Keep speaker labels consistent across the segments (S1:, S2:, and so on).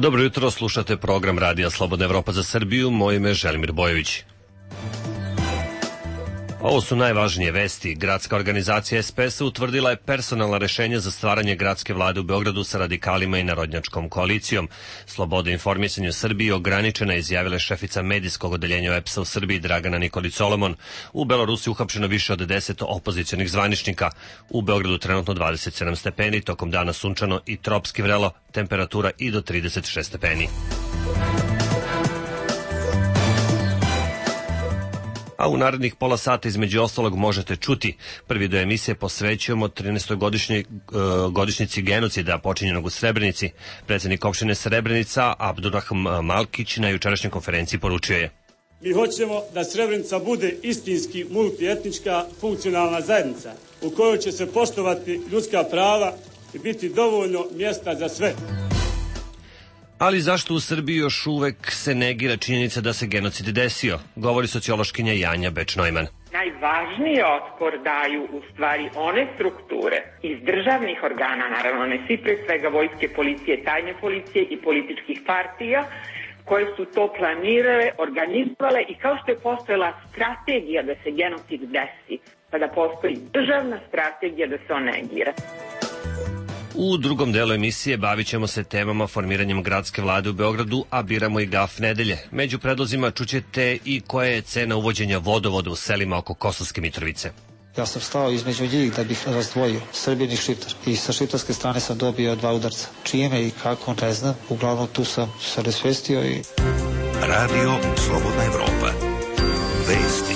S1: Dobro jutro, slušate program Radija Slobodna Evropa za Srbiju, moje ime je Želimir Bojović. Ovo su najvažnije vesti. Gradska organizacija SPS utvrdila je personalna rešenja za stvaranje gradske vlade u Beogradu sa radikalima i narodnjačkom koalicijom. Sloboda informisanja u Srbiji ograničena, izjavila je šefica medijskog odeljenja OEPS-a u Srbiji Dragana Nikolić Solomon. U Belorusiji uhapšeno više od 10 opozicionih zvaničnika. U Beogradu trenutno 27 stepeni, tokom dana sunčano i tropski vrelo, temperatura i do 36 stepeni. A u narednih pola sata između ostalog možete čuti. Prvi do emisije posvećujemo 13. godišnjici genocida počinjenog u Srebrenici. Predsjednik opštine Srebrenica Abdurrahim Malkić na jučerašnjoj konferenciji poručio je:
S2: Mi hoćemo da Srebrenica bude istinski multietnička funkcionalna zajednica u kojoj će se poštovati ljudska prava i biti dovoljno mjesta za sve.
S1: Ali zašto u Srbiji još uvek se negira činjenica da se genocid desio, govori sociološkinja Janja Beč-Neumann.
S3: Najvažniji otpor daju u stvari one strukture iz državnih organa, naravno ne svi, pre svega vojske, policije, tajne policije i političkih partija, koje su to planirale, organizovale i kao što je postojala strategija da se genocid desi, pa da postoji državna strategija da se on negira.
S1: U drugom delu emisije bavit ćemo se temama formiranjem gradske vlade u Beogradu, a biramo i gaf nedelje. Među predlozima čućete i koja je cena uvođenja vodovoda u selima oko Kosovske Mitrovice.
S4: Ja sam stao između njih da bih razdvojio Srbin i Šiptar. I sa šiptarske strane sam dobio 2 udarca. Čime i kako, ne znam. Uglavnom tu sam se resvestio i...
S5: Radio Slobodna Evropa. Vesti.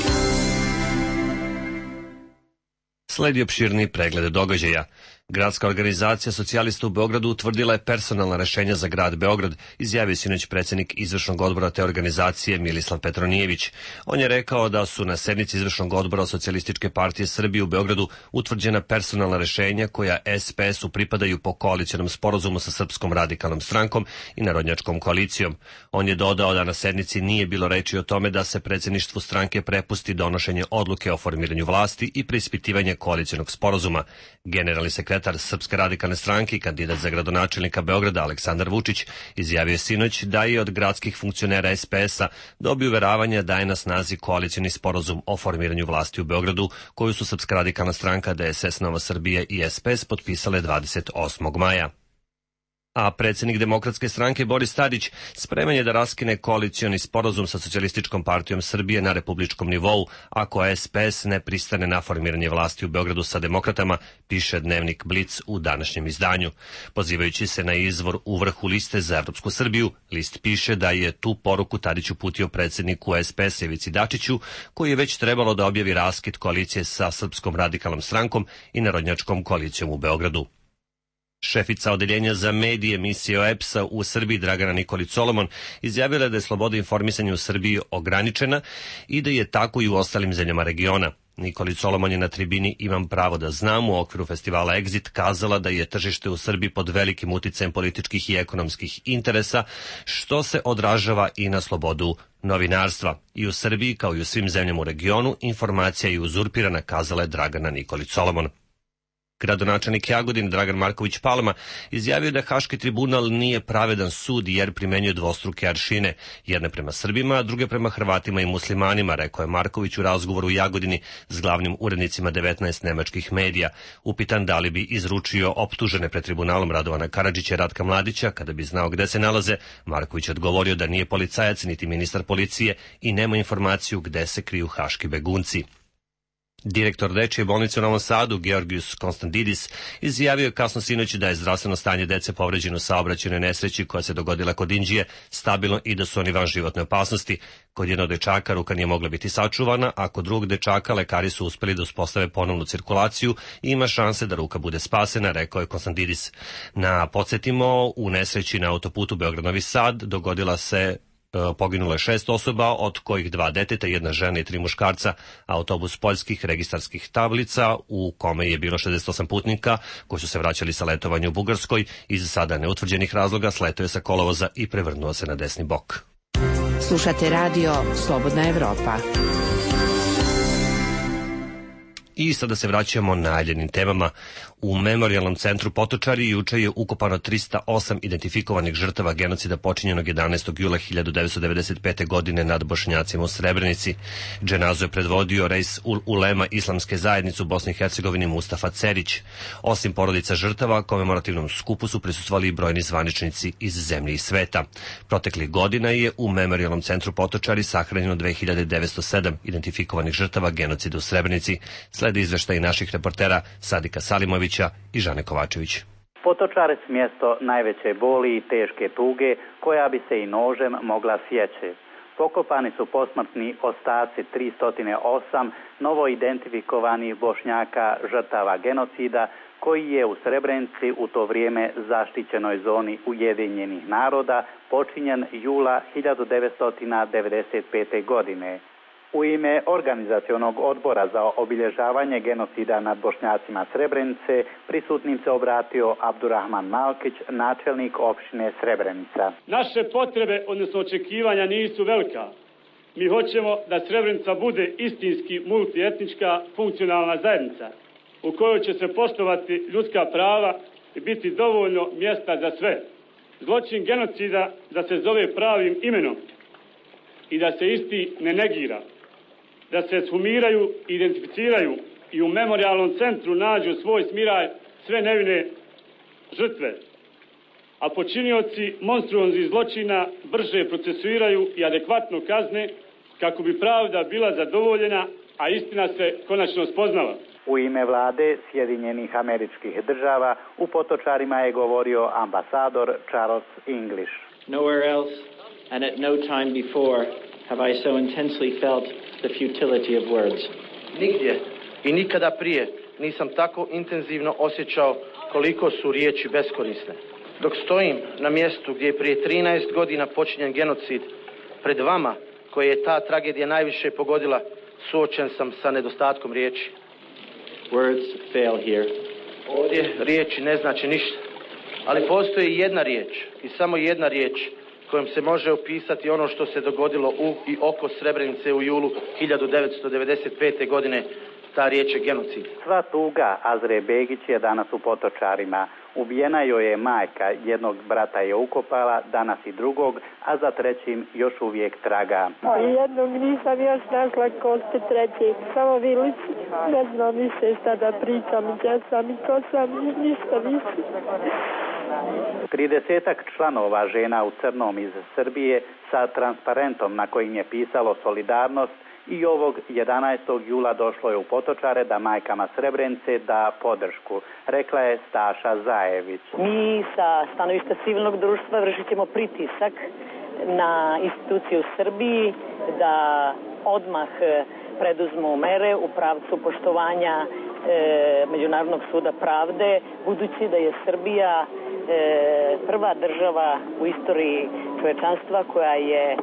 S1: Sledi opširni pregled događaja. Gradska organizacija socijalista u Beogradu utvrdila je personalna rešenja za grad Beograd, izjavio sinoć predsjednik izvršnog odbora te organizacije Milislav Petronijević. On je rekao da su na sednici izvršnog odbora Socijalističke partije Srbije u Beogradu utvrđena personalna rešenja koja SPS-u pripadaju po koalicionom sporazumu sa Srpskom radikalnom strankom i Narodnjačkom koalicijom. On je dodao da na sednici nije bilo reči o tome da se predsjedništvu stranke prepusti donošenje odluke o formiranju vlasti i preispitivanje koalicionog sporazuma. Generalni sekretar Srpske radikalne stranke i kandidat za gradonačelnika Beograda Aleksandar Vučić izjavio je sinoć da je od gradskih funkcionera SPS-a dobio uveravanja da je na snazi koalicioni sporazum o formiranju vlasti u Beogradu, koju su Srpska radikalna stranka, DSS, Nova Srbija i SPS potpisale 28. maja. A predsjednik Demokratske stranke Boris Tadić spreman je da raskine koalicioni sporazum sa Socijalističkom partijom Srbije na republičkom nivou, ako SPS ne pristane na formiranje vlasti u Beogradu sa demokratama, piše dnevnik Blic u današnjem izdanju. Pozivajući se na izvor u vrhu liste za Evropsku Srbiju, list piše da je tu poruku Tadić uputio predsjedniku SPS Ivici Dačiću, koji je već trebalo da objavi raskid koalicije sa Srpskom radikalnom strankom i Narodnjačkom koalicijom u Beogradu. Šefica odeljenja za medije emisije OEPS-a u Srbiji Dragana Nikolić Solomon izjavila je da je sloboda informisanja u Srbiji ograničena i da je tako i u ostalim zemljama regiona. Nikolić Solomon je na tribini Imam pravo da znam u okviru festivala Exit kazala da je tržište u Srbiji pod velikim uticajem političkih i ekonomskih interesa, što se odražava i na slobodu novinarstva. I u Srbiji, kao i u svim zemljama u regionu, informacija je uzurpirana, kazala je Dragana Nikolić Solomon. Gradonačelnik Jagodine Dragan Marković Palma izjavio da Haški tribunal nije pravedan sud jer primenjuje dvostruke aršine, jedne prema Srbima, a druge prema Hrvatima i muslimanima, rekao je Marković u razgovoru u Jagodini s glavnim urednicima 19 nemačkih medija. Upitan da li bi izručio optužene pred tribunalom Radovana Karadžića i Ratka Mladića kada bi znao gde se nalaze, Marković je odgovorio da nije policajac niti ministar policije i nema informaciju gde se kriju haški begunci. Direktor dečije bolnice u Novom Sadu, Georgijus Konstantidis, izjavio je kasno sinoć da je zdravstveno stanje dece povređeno u saobraćajnoj nesreći koja se dogodila kod Inđije stabilno i da su oni van životne opasnosti. Kod jednog dečaka ruka nije mogla biti sačuvana, a kod drugog dečaka lekari su uspeli da uspostave ponovnu cirkulaciju i ima šanse da ruka bude spasena, rekao je Konstantidis. Podsjetimo, u nesreći na autoputu Beograd-Novi Sad dogodila se poginulo je 6 osoba, od kojih 2 deteta, 1 žena i 3 muškarca. Autobus poljskih registarskih tablica u kome je bilo 68 putnika koji su se vraćali sa letovanja u Bugarskoj iz sada neutvrđenih razloga sletio je sa kolovoza i prevrnuo se na desni bok.
S6: Slušate radio Slobodna Evropa.
S1: I sada se vraćamo najavljenim temama. U Memorijalnom centru Potočari juče je ukopano 308 identifikovanih žrtava genocida počinjenog 11. jula 1995. godine nad Bošnjacima u Srebrenici. Dženazu je predvodio Reis Ulema Islamske zajednice u Bosni i Hercegovini Mustafa Cerić. Osim porodica žrtava, komemorativnom skupu su prisustvovali i brojni zvaničnici iz zemlje i sveta. Proteklih godina je u Memorijalnom centru Potočari sahranjeno 2907 identifikovanih žrtava genocida u Srebrenici. Slede izveštaji naših reportera Sadika Salimovića i Žane Kovačević.
S6: Potočarec mjesto najveće boli i teške tuge koja bi se i nožem mogla sjeći. Pokopani su posmrtni ostaci 308 novo identifikovanih Bošnjaka žrtava genocida koji je u Srebrenici u to vrijeme zaštićenoj zoni Ujedinjenih naroda počinjen jula 1995. godine. U ime organizacionog odbora za obilježavanje genocida nad Bošnjacima Srebrenice prisutnim se obratio Abdurrahman Malkić, načelnik opštine Srebrenica.
S2: Naše potrebe, odnosno očekivanja, nisu velika. Mi hoćemo da Srebrenica bude istinski multietnička funkcionalna zajednica u kojoj će se poštovati ljudska prava i biti dovoljno mjesta za sve. Zločin genocida da se zove pravim imenom i da se isti ne negira. Da se sumiraju, identificiraju i u memorijalnom centru nađu svoj smiraj sve nevine žrtve, a počinioci monstruoznih zločina brže procesuiraju i adekvatno kazne kako bi pravda bila zadovoljena, a istina se konačno spoznala.
S6: U ime vlade Sjedinjenih Američkih Država u Potočarima je govorio ambasador Charles English.
S7: Nowhere else and at no time before have I so intensely felt the futility of words.
S8: Nigdje i nikada prije nisam tako intenzivno osjećao koliko su riječi beskorisne. Dok stojim na mjestu gdje je prije 13 godina počinjen genocid, pred vama koje je ta tragedija najviše pogodila, suočen sam sa nedostatkom riječi.
S7: Words fail here.
S8: Ovdje riječi ne znači ništa, ali postoji jedna riječ i samo jedna riječ kojom se može opisati ono što se dogodilo u i oko Srebrenice u julu 1995. godine. Ta riječ je genocid.
S6: Sva tuga Azre Begić je danas u Potočarima. Ubijena joj je majka, jednog brata je ukopala, danas i drugog, a za trećim još uvijek traga.
S9: Jednog nisam još našla, kosti treći. Samo vilic, ne znam više šta da pričam, gdje sam i ko sam, ništa više.
S6: 30-ak članova žena u crnom iz Srbije sa transparentom na kojim je pisalo solidarnost i ovog 11. jula došlo je u Potočare da majkama Srebrenice da podršku, rekla je Staša Zajević.
S10: Mi sa stanovišta civilnog društva vršit ćemo pritisak na institucije u Srbiji da odmah preduzmu mere u pravcu poštovanja Međunarodnog suda pravde, budući da je Srbija prva država u istoriji čovečanstva koja je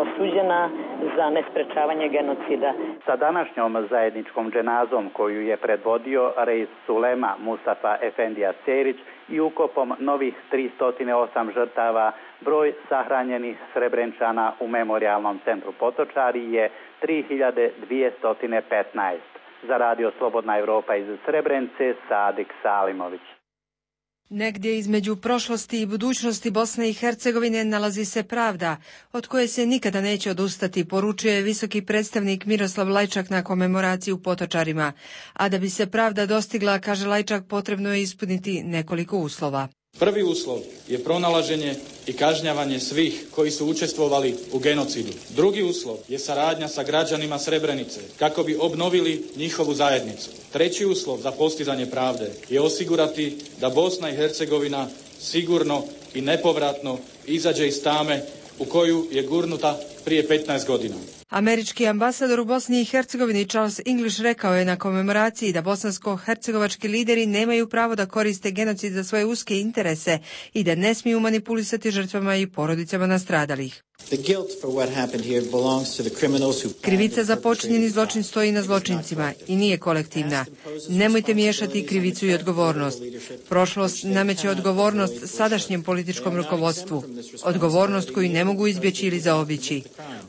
S10: osuđena za nesprečavanje genocida.
S6: Sa današnjom zajedničkom dženazom koju je predvodio Reis Ulema Mustafa Efendija Cerić i ukopom novih 308 žrtava, broj sahranjenih Srebrenčana u Memorijalnom centru Potočari je 3215. Za Radio Slobodna Evropa iz Srebrenice, Sadik Salimović.
S11: Negdje između prošlosti i budućnosti Bosne i Hercegovine nalazi se pravda, od koje se nikada neće odustati, poručuje visoki predstavnik Miroslav Lajčak na komemoraciji u Potočarima. A da bi se pravda dostigla, kaže Lajčak, potrebno je ispuniti nekoliko uslova.
S12: Prvi uslov je pronalaženje i kažnjavanje svih koji su učestvovali u genocidu. Drugi uslov je saradnja sa građanima Srebrenice kako bi obnovili njihovu zajednicu. Treći uslov za postizanje pravde je osigurati da Bosna i Hercegovina sigurno i nepovratno izađe iz tame u koju je gurnuta prije 15 godina.
S11: Američki ambasador u Bosni i Hercegovini Charles English rekao je na komemoraciji da bosansko-hercegovački lideri nemaju pravo da koriste genocid za svoje uske interese i da ne smiju manipulisati žrtvama i porodicama nastradalih. Krivica za počinjeni zločin stoji na zločincima i nije kolektivna. Nemojte miješati krivicu i odgovornost. Prošlost nameće odgovornost sadašnjem političkom rukovodstvu. Odgovornost koju ne mogu izbjeći ili zaobići.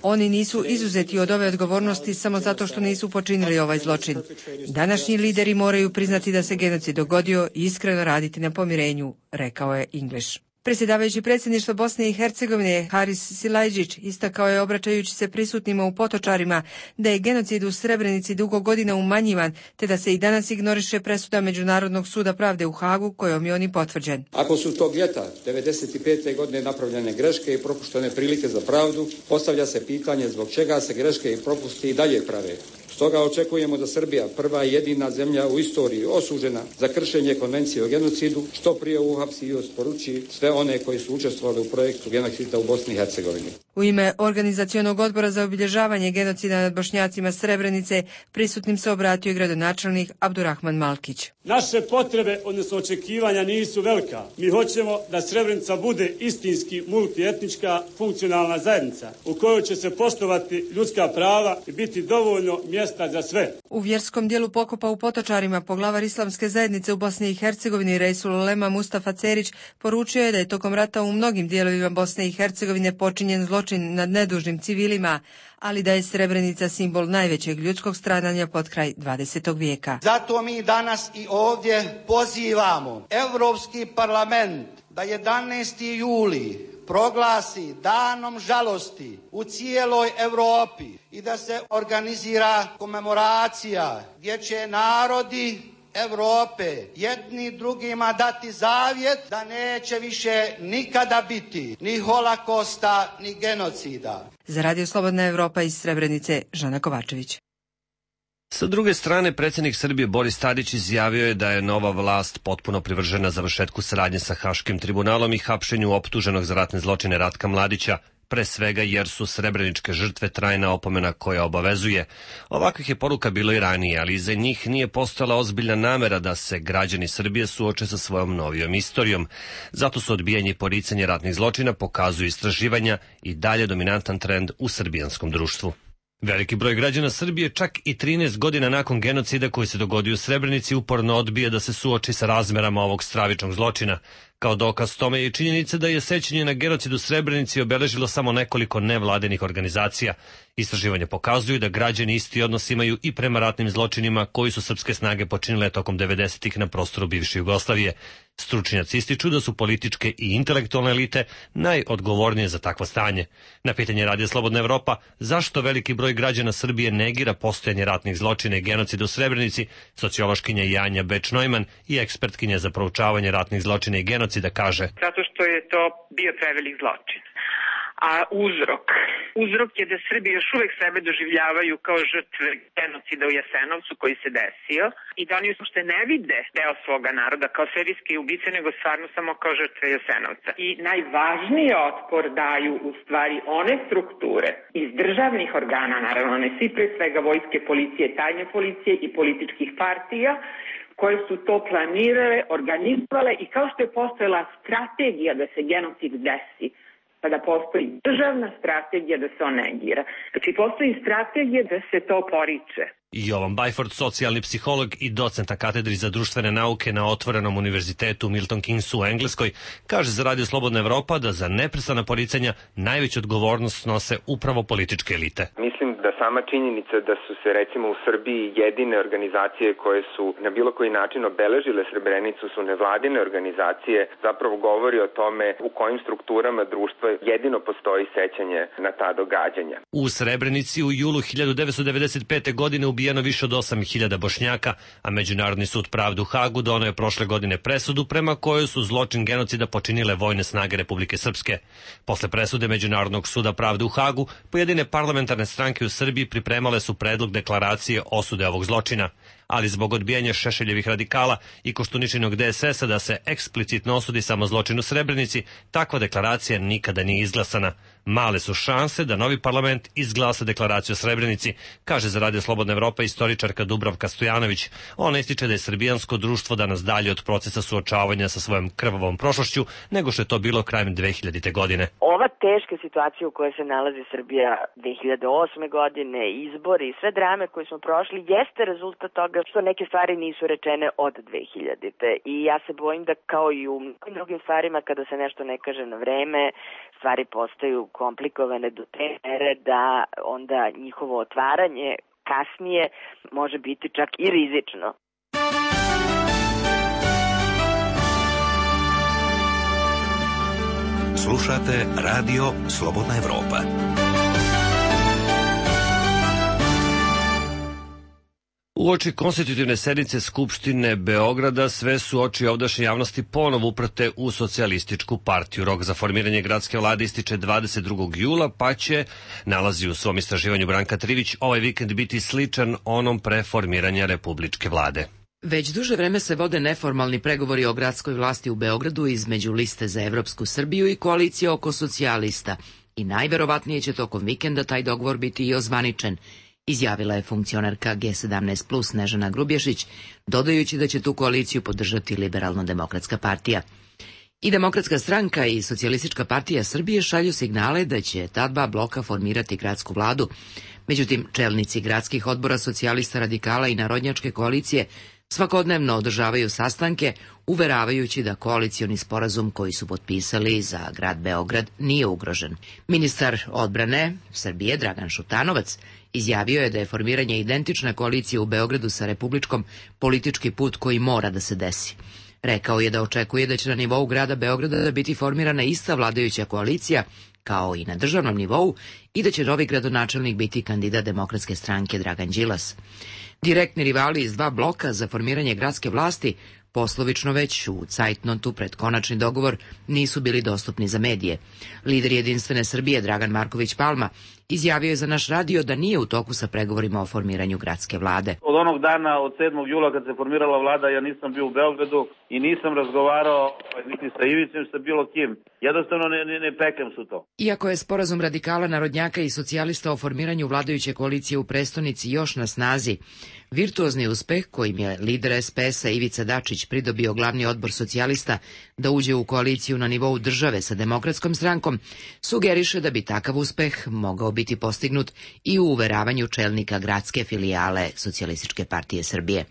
S11: Oni nisu izuzeti od ove odgovornosti samo zato što nisu počinili ovaj zločin. Današnji lideri moraju priznati da se genocid dogodio i iskreno raditi na pomirenju, rekao je English. Predsjedavajući predsjedništva Bosne i Hercegovine Haris Silajdžić istakao je, obraćajući se prisutnima u Potočarima, da je genocid u Srebrenici dugo godina umanjivan, te da se i danas ignoriše presuda Međunarodnog suda pravde u Hagu, kojom je on i potvrđen.
S13: Ako su tog ljeta 1995. godine napravljene greške i propuštene prilike za pravdu, postavlja se pitanje zbog čega se greške i propusti i dalje prave. Stoga očekujemo da Srbija, prva i jedina zemlja u istoriji osuđena za kršenje konvencije o genocidu, što prije uhapsi i isporuči sve one koji su učestvovali u projektu genocida u Bosni i Hercegovini.
S11: U ime Organizacionog odbora za obilježavanje genocida nad Bošnjacima Srebrenice prisutnim se obratio i gradonačelnik Abdurrahman Malkić.
S2: Naše potrebe, odnosno očekivanja, nisu velika. Mi hoćemo da Srebrenica bude istinski multietnička funkcionalna zajednica u kojoj će se poštovati ljudska prava i biti dovoljno mjesta za sve.
S11: U vjerskom dijelu pokopa u Potočarima poglavar Islamske zajednice u Bosni i Hercegovini Reisul Ulema Mustafa Cerić poručio je da je tokom rata u mnogim dijelovima Bosne i Hercegovine počinjen zločin nad nedužnim civilima, ali da je Srebrenica simbol najvećeg ljudskog stradanja pod kraj 20. vijeka.
S14: Zato mi danas i ovdje pozivamo Europski parlament da 11. juli proglasi danom žalosti u cijeloj Europi i da se organizira komemoracija gdje će narodi Europe jedni drugima dati zavjet da neće više nikada biti ni holokosta ni genocida.
S11: Za Radio Slobodna Evropa iz Srebrenice, Žana Kovačević.
S1: Sa druge strane, predsjednik Srbije Boris Tadić izjavio je da je nova vlast potpuno privržena završetku saradnje sa Haškim tribunalom i hapšenju optuženog za ratne zločine Ratka Mladića, pre svega jer su srebreničke žrtve trajna opomena koja obavezuje. Ovakvih je poruka bilo i ranije, ali iza njih nije postojala ozbiljna namera da se građani Srbije suoče sa svojom novijom istorijom. Zato su odbijanje i poricanje ratnih zločina, pokazuju istraživanja, i dalje dominantan trend u srbijanskom društvu. Veliki broj građana Srbije, čak i 13 godina nakon genocida koji se dogodio u Srebrenici, uporno odbije da se suoči sa razmerama ovog stravičnog zločina. Kao dokaz tome je i činjenica da je sećanje na genocid u Srebrenici obeležilo samo nekoliko nevladenih organizacija. Istraživanja pokazuju da građani isti odnos imaju i prema ratnim zločinima koji su srpske snage počinile tokom 90-ih na prostoru bivše Jugoslavije. Stručnjaci ističu da su političke i intelektualne elite najodgovornije za takvo stanje. Na pitanje Radija Slobodna Evropa zašto veliki broj građana Srbije negira postojanje ratnih zločina i genocida u Srebrenici, sociološkinja Janja Beč-Neumann i ekspertkinja za proučavanje ratnih zločina i genocida kaže:
S3: Zato što je to bio prevelik zločin. A uzrok je da Srbi još uvek sebe doživljavaju kao žrtve genocida u Jasenovcu koji se desio i da oni uopšte ne vide deo svoga naroda kao serijske ubice, nego stvarno samo kao žrtve Jasenovca. I najvažniji otpor daju u stvari one strukture iz državnih organa, naravno ne svi, pre svega vojske, policije, tajne policije i političkih partija, koje su to planirale, organizovale i kao što je postojala strategija da se genocid desi, pa da postoji državna strategija da se on negira. Znači, postoji strategija da se to poriče.
S1: Jovan Bajford, socijalni psiholog i docent na katedri za društvene nauke na Otvorenom univerzitetu Milton Keynesu u Engleskoj, kaže za Radio Slobodna Evropa da za neprestana poricanja najveću odgovornost snose upravo političke elite.
S15: Mislim da sama činjenica da su se recimo u Srbiji jedine organizacije koje su na bilo koji način obeležile Srebrenicu su nevladine organizacije, zapravo govori o tome u kojim strukturama društva jedino postoji sećanje na ta događanja.
S1: U Srebrenici u julu 1995. godine ubijeno više od 8.000 Bošnjaka, a Međunarodni sud pravde u Hagu doneo je prošle godine presudu prema kojoj su zločin genocida počinile vojne snage Republike Srpske. Posle presude Međunarodnog suda pravde u Hagu, pojedine parlamentarne stranke u Srbiji pripremale su predlog deklaracije osude ovog zločina, ali zbog odbijanja Šešeljevih radikala i Koštuničinog DSS-a da se eksplicitno osudi samo zločin u Srebrenici, takva deklaracija nikada nije izglasana. Male su šanse da novi parlament izglasa deklaraciju o Srebrenici, kaže za Radio Slobodna Evropa istoričarka Dubravka Stojanović. Ona ističe da je srbijansko društvo danas dalje od procesa suočavanja sa svojom krvavom prošlošću nego što je to bilo krajem 2000. godine.
S16: Ova teška situacija u kojoj se nalazi Srbija 2008. godine, izbori i sve drame koje smo prošli, jeste rezultat toga što neke stvari nisu rečene od 2000. I ja se bojim da kao i u mnogim drugim stvarima kada se nešto ne kaže na vreme, stvari postaju komplikovane do te mere da onda njihovo otvaranje kasnije može biti čak i rizično.
S5: Slušate Radio Slobodna Evropa.
S1: Uoči konstitutivne sednice Skupštine Beograda sve su oči ovdašnje javnosti ponovo uprte u socijalističku partiju. Rok za formiranje gradske vlade ističe 22. jula, pa će, nalazi u svom istraživanju Branka Trivić, ovaj vikend biti sličan onom pre formiranja republičke vlade.
S17: Već duže vreme se vode neformalni pregovori o gradskoj vlasti u Beogradu između Liste za evropsku Srbiju i koalicije oko socijalista i najverovatnije će tokom vikenda taj dogovor biti i ozvaničen, izjavila je funkcionerka G17+ Snežana Grubješić, dodajući da će tu koaliciju podržati Liberalno-demokratska partija. I Demokratska stranka i Socijalistička partija Srbije šalju signale da će ta dva bloka formirati gradsku vladu. Međutim, čelnici gradskih odbora socijalista, radikala i narodnjačke koalicije svakodnevno održavaju sastanke, uveravajući da koalicioni sporazum koji su potpisali za grad Beograd nije ugrožen. Ministar odbrane Srbije Dragan Šutanovac izjavio je da je formiranje identične koalicije u Beogradu sa republičkom politički put koji mora da se desi. Rekao je da očekuje da će na nivou grada Beograda biti formirana ista vladajuća koalicija, kao i na državnom nivou, i da će novi gradonačelnik biti kandidat Demokratske stranke Dragan Đilas. Direktni rivali iz dva bloka za formiranje gradske vlasti poslovično već u cajtnotu pred konačni dogovor nisu bili dostupni za medije. Lider Jedinstvene Srbije Dragan Marković Palma izjavio je za naš radio da nije u toku sa pregovorima o formiranju gradske vlade.
S18: Od onog dana, od 7. jula kad se formirala vlada, ja nisam bio u Beogradu i nisam razgovarao niti sa Ivicem, sa bilo kim. Jednostavno ne pekam su to.
S17: Iako je sporazum radikala, narodnjaka i socijalista o formiranju vladajuće koalicije u prestonici još na snazi, virtuozni uspeh kojim je lider SPS-a Ivica Dačić pridobio glavni odbor socijalista da uđe u koaliciju na nivou države sa Demokratskom strankom, sugeriše da bi takav uspeh mogao biti postignut i u uveravanju čelnika gradske filijale Socijalističke partije Srbije.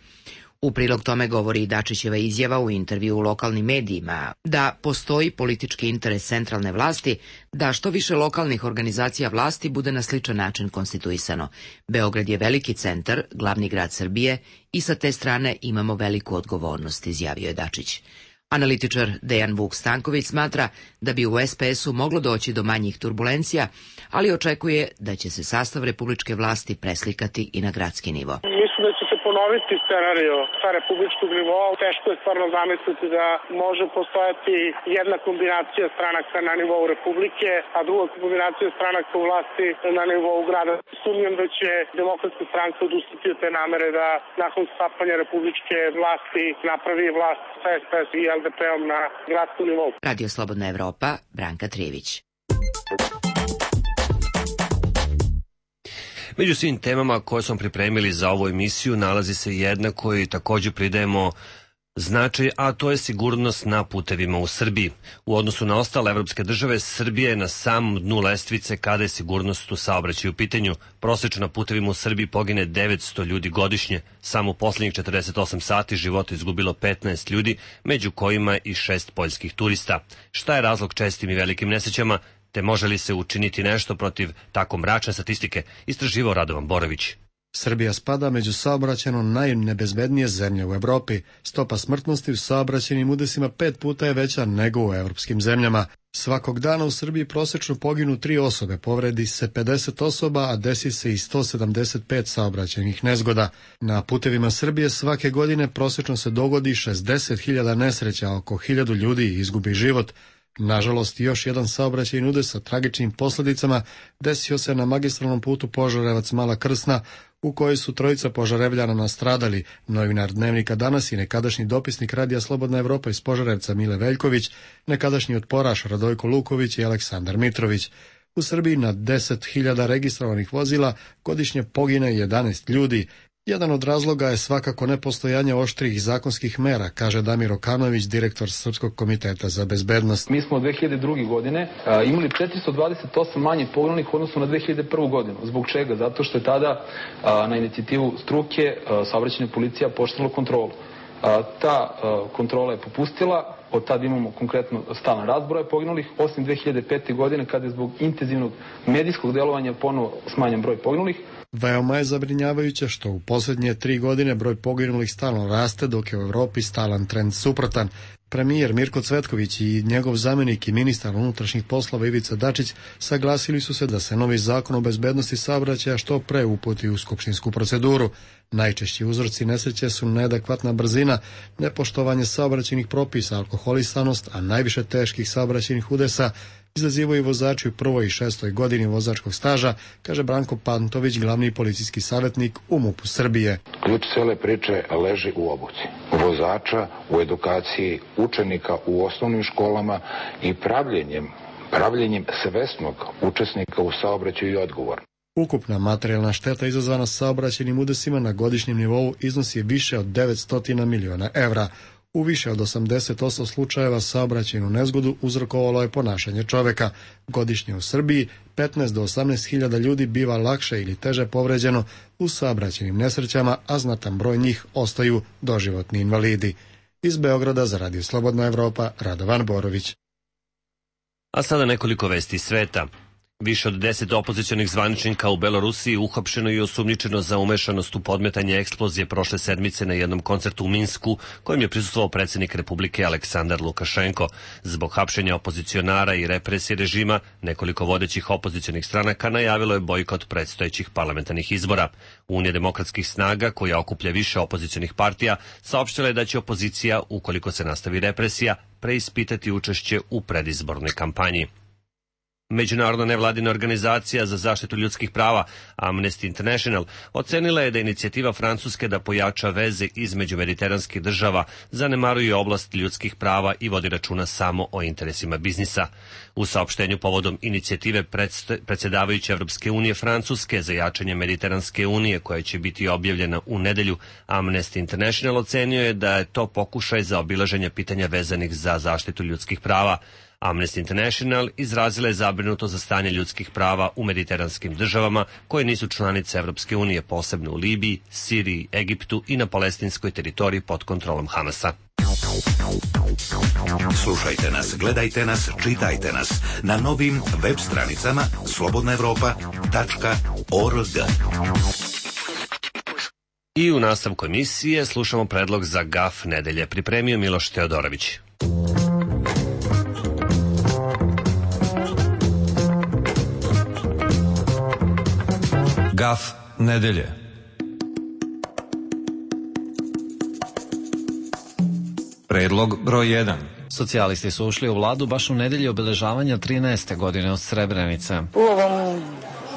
S17: U prilog tome govori i Dačićeva izjava u intervju u lokalnim medijima da postoji politički interes centralne vlasti da što više lokalnih organizacija vlasti bude na sličan način konstituisano. Beograd je veliki centar, glavni grad Srbije i sa te strane imamo veliku odgovornost, izjavio je Dačić. Analitičar Dejan Vuk Stanković smatra da bi u SPS-u moglo doći do manjih turbulencija, ali očekuje da će se sastav republičke vlasti preslikati i na gradski nivo.
S19: Mislim da će se ponoviti scenario sa republičkog nivoa. Teško je stvarno zamisliti da može postojati jedna kombinacija stranaka na nivou republike, a druga kombinacija stranaka u vlasti na nivou grada. Sumnjam da će Demokratska stranka odustati od te namere da nakon stapanja republičke vlasti napravi vlast sa SPS i LDP-om na gradskom nivou.
S17: Radio Slobodna Evropa, Branka Trivić.
S1: Među svim temama koje smo pripremili za ovu emisiju nalazi se jedna koju također pridajemo značaj, a to je sigurnost na putevima u Srbiji. U odnosu na ostale evropske države, Srbija je na samom dnu lestvice kada je sigurnost u saobraćaju u pitanju. Prosečno na putevima u Srbiji pogine 900 ljudi godišnje. Samo u posljednjih 48 sati života izgubilo 15 ljudi, među kojima i 6 poljskih turista. Šta je razlog čestim i velikim nesrećama, te može li se učiniti nešto protiv tako mračne statistike, istraživao Radovan Borović.
S20: Srbija spada među saobraćajno najnebezbednije zemlje u Evropi. Stopa smrtnosti u saobraćajnim udesima 5 puta je veća nego u evropskim zemljama. Svakog dana u Srbiji prosečno poginu 3 osobe, povredi se 50 osoba, a desi se i 175 saobraćajnih nezgoda. Na putevima Srbije svake godine prosečno se dogodi 60.000 nesreća, oko 1.000 ljudi izgubi život. Nažalost, još jedan saobraćajni udes sa tragičnim posljedicama desio se na magistralnom putu Požarevac-Mala Krsna, u kojoj su 3 Požarevljana nastradali. Novinar Dnevnika Danas i nekadašnji dopisnik Radija Slobodna Evropa iz Požarevca Mile Veljković, nekadašnji otporaš Radojko Luković i Aleksandar Mitrović. U Srbiji na 10.000 registrovanih vozila godišnje pogine 11 ljudi. Jedan od razloga je svakako nepostojanje oštrih zakonskih mera, kaže Damir Okanović, direktor Srpskog komiteta za bezbednost.
S21: Mi smo od 2002. godine imali 428 manje poginulih u odnosu na 2001. godinu. Zbog čega? Zato što je tada na inicijativu struke saobraćajna policija pooštrila kontrolu. Ta kontrola je popustila, od tada imamo konkretno stalan rast broja poginulih, osim 2005. godine kada je zbog intenzivnog medijskog delovanja ponovo smanjen broj poginulih.
S20: Veoma je zabrinjavajuće što u posljednje 3 godine broj poginulih stalno raste, dok je u Evropi stalan trend suprotan. Premijer Mirko Cvetković i njegov zamjenik i ministar unutrašnjih poslova Ivica Dačić saglasili su se da se novi zakon o bezbednosti saobraćaja što pre uputi u skupštinsku proceduru. Najčešći uzroci nesreće su neadekvatna brzina, nepoštovanje saobraćajnih propisa, alkoholisanost, a najviše teških saobraćajnih udesa izazivaju vozači u 1. i 6. godini vozačkog staža, kaže Branko Pantović, glavni policijski savjetnik u MUP-u Srbije.
S4: Ključ cele priče leži u obuci vozača, u edukaciji učenika u osnovnim školama i pravljenjem svesnog učesnika u saobraćaju i odgovornosti.
S20: Ukupna materijalna šteta izazvana saobraćajnim udesima na godišnjem nivou iznosi više od 900 miliona evra. U više od 88 slučajeva saobraćajnu nezgodu uzrokovalo je ponašanje čoveka. Godišnje u Srbiji 15 do 18 hiljada ljudi biva lakše ili teže povređeno u saobraćajnim nesrećama, a znatan broj njih ostaju doživotni invalidi. Iz Beograda za Radio Slobodna Evropa, Radovan Borović.
S1: A sada nekoliko vesti iz sveta. Više od 10 opozicionih zvaničnika u Belorusiji uhapšeno i osumnjičeno za umešanost u podmetanje eksplozije prošle sedmice na jednom koncertu u Minsku, kojem je prisustvovao predsjednik Republike Aleksandar Lukašenko. Zbog hapšenja opozicionara i represije režima, nekoliko vodećih opozicionih stranaka najavilo je bojkot predstojećih parlamentarnih izbora. Unija demokratskih snaga, koja okuplja više opozicionih partija, saopštila je da će opozicija, ukoliko se nastavi represija, preispitati učešće u predizbornoj kampanji. Međunarodna nevladina organizacija za zaštitu ljudskih prava Amnesty International ocenila je da inicijativa Francuske da pojača veze između mediteranskih država zanemaruje oblast ljudskih prava i vodi računa samo o interesima biznisa. U saopštenju povodom inicijative predsjedavajuće Evropske unije Francuske za jačanje Mediteranske unije, koja će biti objavljena u nedelju, Amnesty International ocenio je da je to pokušaj za obilaženje pitanja vezanih za zaštitu ljudskih prava. Amnesty International izrazila je zabrinuto za stanje ljudskih prava u mediteranskim državama koje nisu članice Evropske unije, posebno u Libiji, Siriji, Egiptu i na palestinskoj teritoriji pod kontrolom Hamasa.
S5: Slušajte nas, gledajte nas, čitajte nas na novim web stranicama slobodnaevropa.org.
S1: I u nastavku emisije slušamo predlog za GAF nedelje. Pripremio Miloš Teodorović.
S22: GAF nedelje. Predlog broj 1.
S23: Socijalisti su ušli u vladu baš u nedelji obeležavanja 13. godine od Srebrenice.
S24: U ovom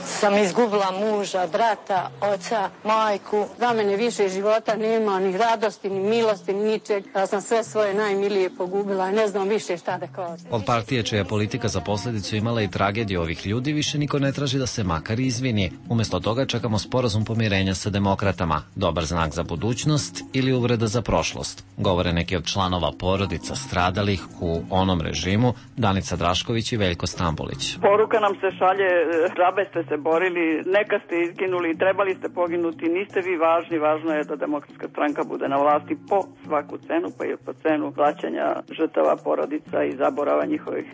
S24: sam izgubila muža, brata, oca, majku. Za mene više života nema, ni radosti, ni milosti, ni ničeg. Ja sam sve svoje najmilije pogubila i ne znam više šta da kažem.
S23: Od partije čija politika za posljedicu imala i tragediju ovih ljudi više niko ne traži da se makar izvini. Umjesto toga čekamo sporazum pomirenja sa demokratama. Dobar znak za budućnost ili uvreda za prošlost. Govore neki od članova porodica stradalih u onom režimu, Danica Drašković i Veljko Stambolić.
S25: Poruka nam se šalje, džabe ste se borili, neka ste izginuli, trebali ste poginuti, niste vi važni, važno je da Demokratska stranka bude na vlasti po svaku cenu, pa i po cenu plaćanja žrtava porodica i zaborava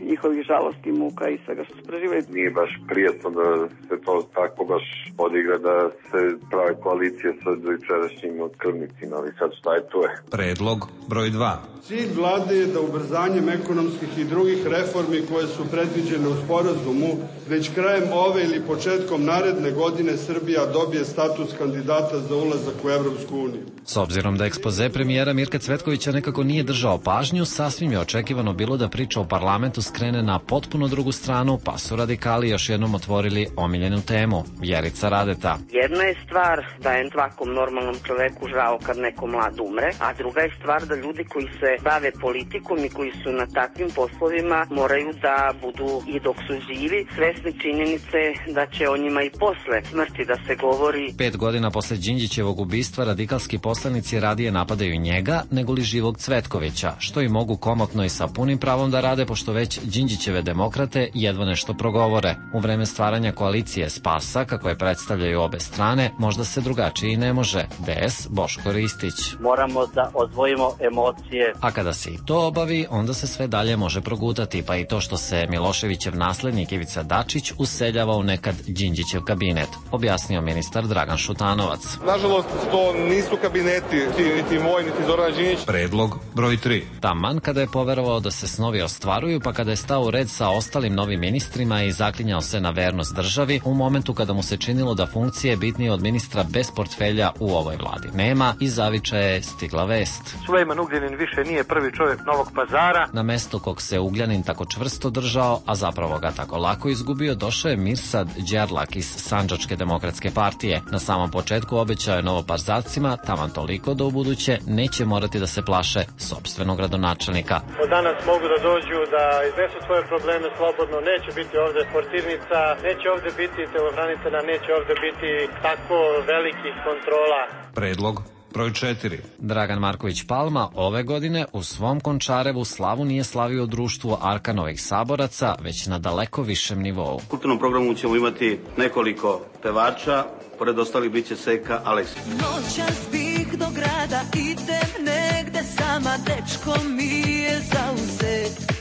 S25: njihovih žalosti, muka i svega što su preživali.
S26: Nije baš prijetno da se to tako baš odigra, da se prave koalicije sa dojučerašnjim otkrvnicima, ali sad šta je to je.
S22: Predlog broj 2.
S27: Cilj vlade je da ubrzanjem ekonomskih i drugih reformi koje su predviđene u sporazumu već krajem ove ili početkom naredne godine Srbija dobije status kandidata za ulazak u Evropsku uniju.
S23: S obzirom da ekspoze premijera Mirka Cvetkovića nekako nije držao pažnju, sasvim je očekivano bilo da priča o parlamentu skrene na potpuno drugu stranu, pa su radikali još jednom otvorili omiljenu temu, Vjerica Radeta.
S16: Jedna je stvar da je svakom normalnom čoveku žao kad neko mlad umre, a druga je stvar da ljudi koji se
S6: bave politikom i koji su na takvim poslovima moraju da budu i dok su živi svesni činjenice da će o njima i posle smrti da se govori.
S23: 5 godina posle Đinđićevog ubistva radikalski poslanici radije napadaju njega nego li Živog Cvetkovića, što i mogu komotno i sa punim pravom da rade, pošto već Đinđićeve demokrate jedva nešto progovore. U vreme stvaranja koalicije Spasa, kako je predstavljaju obe strane, možda se drugačije i ne može. DS Boško Ristić.
S7: Moramo da odvojimo emocije.
S23: A kada se i to obavi, onda se sve dalje može progutati, pa i to što se Miloševićev naslednik Ivica Dačić useljava u nekad Đinđićev kabinet, objasnio ministar Dragan Šutanovac.
S8: Nažalost, to nisu kabineti, niti moj, niti Zoran Đinđić.
S22: Predlog broj 3.
S23: Taman kada je poverovao da se snovi ostvaruju, pa kada je stao u red sa ostalim novim ministrima i zaklinjao se na vernost državi, u momentu kada mu se činilo da funkcije bitnije od ministra bez portfelja u ovoj vladi nema, iz Zaviča je stigla vest.
S8: Sulejman Ugljanin više nije prvi čovjek Novog Pazara.
S23: Na mesto kog se Ugljanin tako čvrsto držao, a zapravo ga tako lako izgubio, došao je Mirsad Đerlak iz Sandžačke demokratske partije. Na samom početku obećao je Novopazarscima taman toliko da u buduće neće morati da se plaše sopstvenog gradonačelnika.
S8: Od danas mogu da dođu da iznesu svoje probleme slobodno, neće biti ovde portirnica, neće ovde biti telohranitelja, neće ovde biti tako velikih kontrola.
S22: Predlog broj 4.
S23: Dragan Marković Palma ove godine u svom Končarevu slavu nije slavio u društvu Arkanovih saboraca, već na daleko višem nivou.
S8: U kulturnom programu ćemo imati nekoliko pevača, pored ostalih biće Seka Aleksić.
S9: Noćas bih do grada, idem negde sama, dečko mi je zauzet.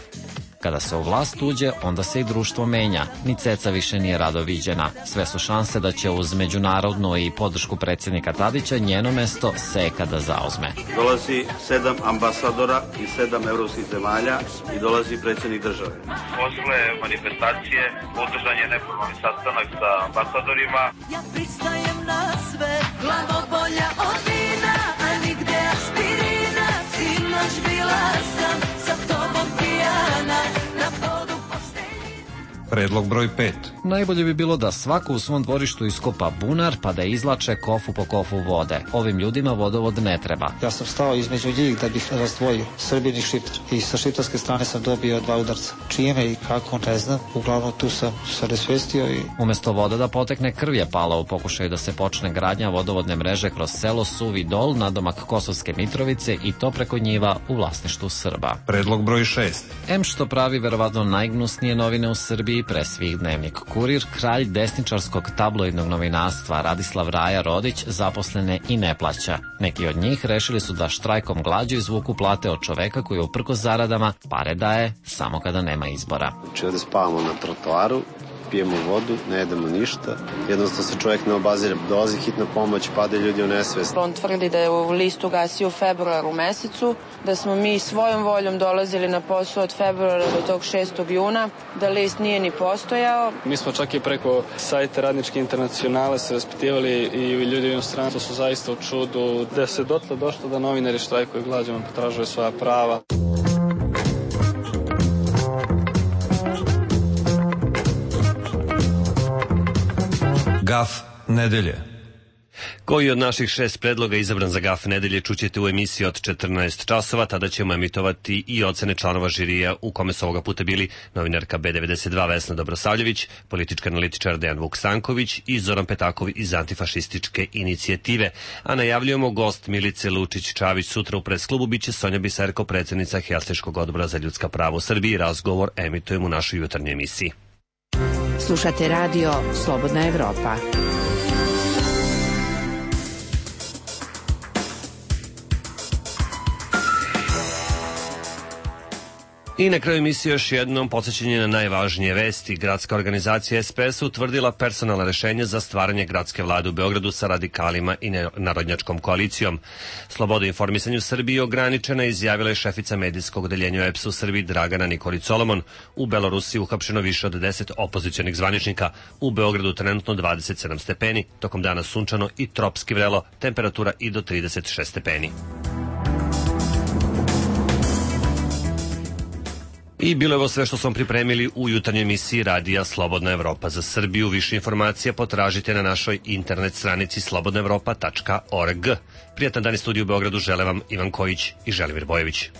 S23: Kada se u vlast uđe, onda se i društvo menja. Ni ceca više nije rado viđena. Sve su šanse da će uz međunarodnu i podršku predsjednika Tadića njeno mesto Seka da zauzme.
S8: Dolazi 7 ambasadora iz 7 evropskih zemalja i dolazi predsjednik države. Posle manifestacije održan je neformalni sastanak sa ambasadorima.
S9: Ja pristajem na sve, glavobolja od vina, a nigde aspirina. Sinoć bila sam sa tobom pijana.
S22: Predlog broj 5.
S23: Najbolje bi bilo da svako u svom dvorištu iskopa bunar pa da izlače kofu po kofu vode. Ovim ljudima vodovod ne treba.
S10: Ja sam stao između njih da bih razdvojio Srbin i Šiptar. I sa šiptarske strane sam dobio 2 udarca. Čime i kako, ne znam. Uglavnom tu sam se nesvestio i...
S23: Umesto voda da potekne, krv je pala u pokušaju da se počne gradnja vodovodne mreže kroz selo Suvi Dol, nadomak Kosovske Mitrovice, i to preko njiva u vlasništvu Srba.
S22: Predlog broj 6.
S23: Em što pravi verovatno najgnusnije novine u Srbiji, pre svih Dnevnik Kurir, kralj desničarskog tabloidnog novinarstva Radislav Raja Rodić zaposlene i ne plaća. Neki od njih rešili su da štrajkom glađu izvuku plate od čoveka koji uprkos zaradama pare daje samo kada nema izbora.
S12: Znači ovde spavamo na trotoaru, pijemo vodu, ne jedemo ništa. Jednostavno se čovjek ne obazira. Dolazi hitna pomoć, padaju ljudi u nesvest.
S13: On tvrdi da je u listu gasio u februaru mesecu, da smo mi svojom voljom dolazili na posao od februara do tog 6. juna, da list nije ni postojao.
S21: Mi smo čak i preko sajta Radničke internacionale se raspitivali i ljudi u inostranstvu su zaista u čudu da se dotle došlo da novinari štrajkuju glađom, potražuju svoja prava.
S22: Gaf nedelje.
S1: Koji od naših 6 predloga izabran za Gaf nedelje čućete u emisiji od 14 časova, tada ćemo emitovati i ocene članova žirija u kome su ovoga puta bili novinarka B92 Vesna Dobrosavljević, politički analitičar Dejan Vuksanković i Zoran Petakov iz Antifašističke inicijative. A najavljujemo gost Milice Lučić-Čavić sutra u presklubu, biće Sonja Biserko, predsjednica Helsinškog odbora za ljudska prava u Srbiji. Razgovor emitujemo u našoj jutarnjoj emisiji.
S28: Slušate radio Slobodna Evropa.
S1: I na kraju emisije još jednom podsjećanje na najvažnije vesti. Gradska organizacija SPS utvrdila personalna rešenja za stvaranje gradske vlade u Beogradu sa radikalima i narodnjačkom koalicijom. Sloboda informisanja u Srbiji ograničena, izjavila je šefica medijskog odeljenja EPS u Srbiji Dragana Nikolić Solomon. U Belorusiji uhapšeno više od 10 opozicionih zvaničnika. U Beogradu trenutno 27 stepeni, tokom dana sunčano i tropski vrelo, temperatura i do 36 stepeni. I bilo je ovo sve što smo pripremili u jutarnjoj emisiji radija Slobodna Evropa za Srbiju. Više informacija potražite na našoj internet stranici slobodnaevropa.org. Prijatan dan iz studiju u Beogradu žele vam Ivan Kojić i Želimir Bojević.